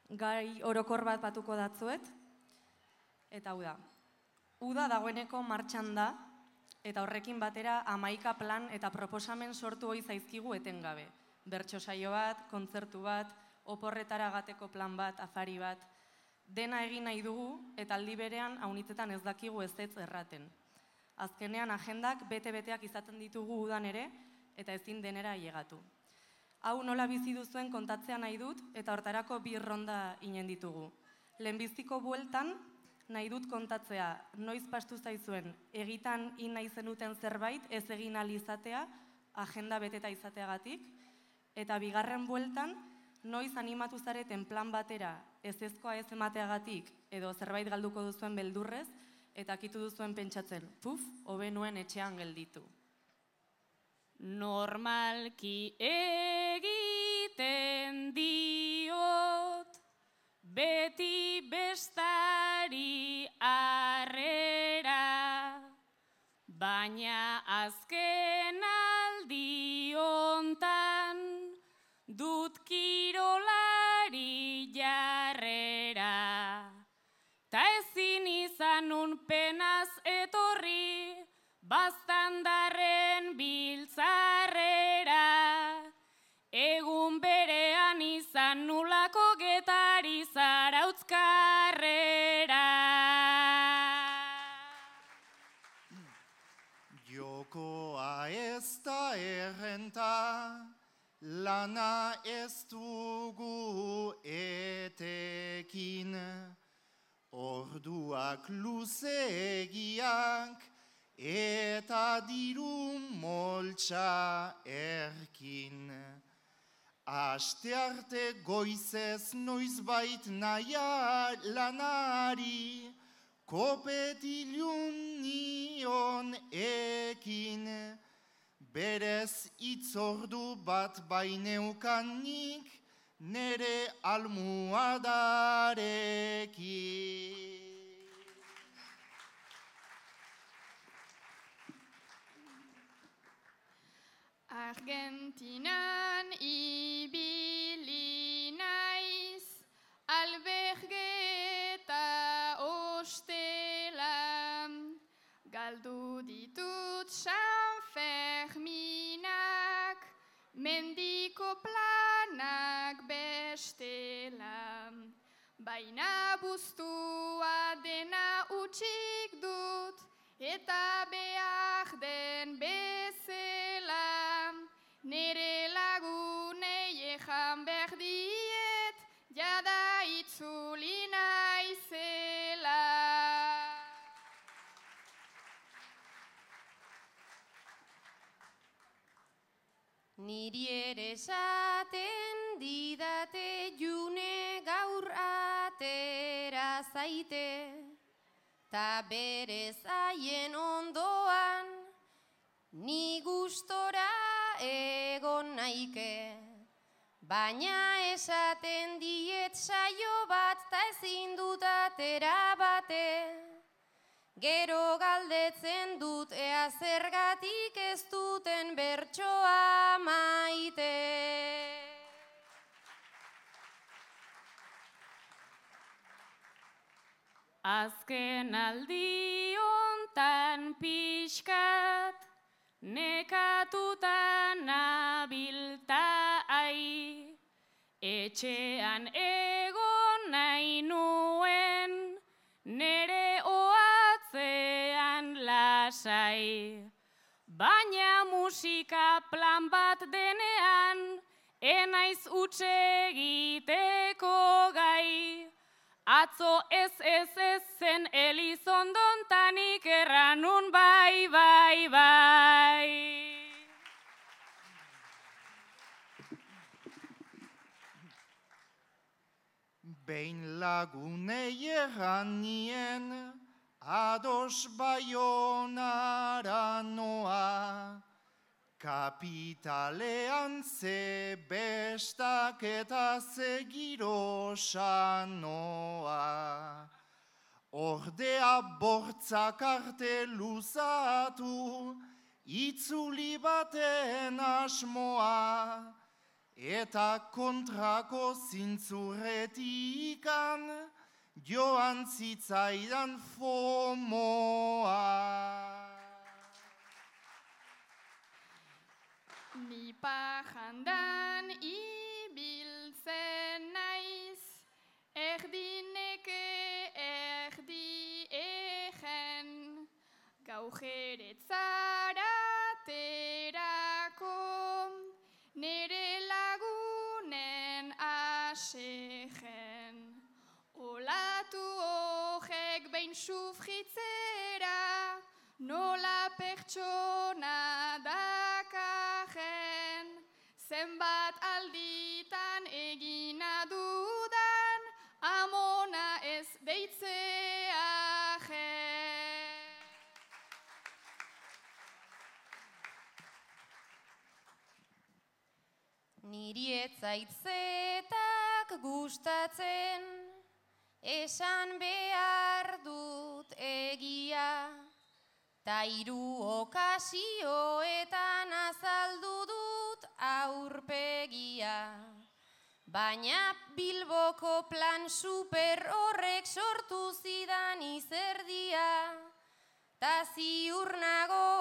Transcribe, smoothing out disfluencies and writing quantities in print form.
gai orokor bat batuko datzuet, eta hau da. Uda dagoeneko martxan da, eta horrekin batera 11 plan eta proposamen sortu ohi zaizkigu etengabe. Bertso saio bat, kontzertu bat, oporretara gateko plan bat, afari bat, dena egin nahi dugu eta aldi berean aunitzetan ez dakigu ezetz erraten. Azkenean agendak bete-beteak izaten ditugu udan ere eta ezin denera ailegatu. Hau nola bizi duzuen kontatzea nahi dut eta hortarako 2 ronda inen ditugu. Lehenbiziko bueltan nahi dut kontatzea noiz pastu zaizuen egitan nahi zenuten zerbait ez egin ahal izatea agenda beteta izateagatik, eta bigarren bueltan noiz animatu zareten plan batera ezezkoa ez emateagatik edo zerbait galduko duzuen beldurrez eta akitu duzuen pentsatzen, hobe nuen etxean gelditu. Normalki egiten diot, beti bestari harrera, baina azken aldi hontan dut kirolari jarrera. Ta ezin izanun penaz etorri, baztandarren biltzarrera, egun berean izan nulako getari zarautzkarrera. Jokoa ez da errenta, lana ez dugu etekin, orduak luzeegiak, eta diru moltsa erkin. Astearte goizez noizbait naia lanari, kopetilun nion ekin. Berez itzordu bat baineukanik, nere almuadarekin. Argentinan ibili naiz, albergeta ostela, galdu ditut San Ferminak, mendiko planak bestela, baina buztua dena utxik dut, eta behar den bezala, nere lagunei ejan behar diet, jada itzuli naizela. Niri ere esaten didate june gaur atera zaite, ta berez haien ondoan, ni gustora egon naike. Baina esaten diet saio bat ta ezin dut atera bate. Gero galdetzen dut ea zergatik ez duten bertsoa maite. Azken aldi hontan pixkat, nekatuta nabilta ai, etxean egon nahi nuen, nere oatzean lasai. Baina musika plan bat denean, enaiz huts egiteko gai. Atzo ez zen Elizondontanik erranun bai. Behin lagunei erran nien, ados Baionara noa, kapitalean ze bestak eta ze girosa noa. Ordea bortzak arte luzatu, itzuli baten asmoa, eta kontrako zintzurretikan joan zitzaidan fomoa. Ni pajandan ibiltzen naiz, erdineke erdi egen, gaujeretzaraterako, nere lagunen asegen. Olatu hogek behin sufritzera, nola pertsona dakajen, zenbat alditan egina dudan, amona ez deitzeajen. Niri etzaitzetak gustatzen, esan behar dut egia, ta 3 okasioetan azaldu dut aurpegia. Baina Bilboko plan super horrek sortu zidan izerdia, ta ziur nago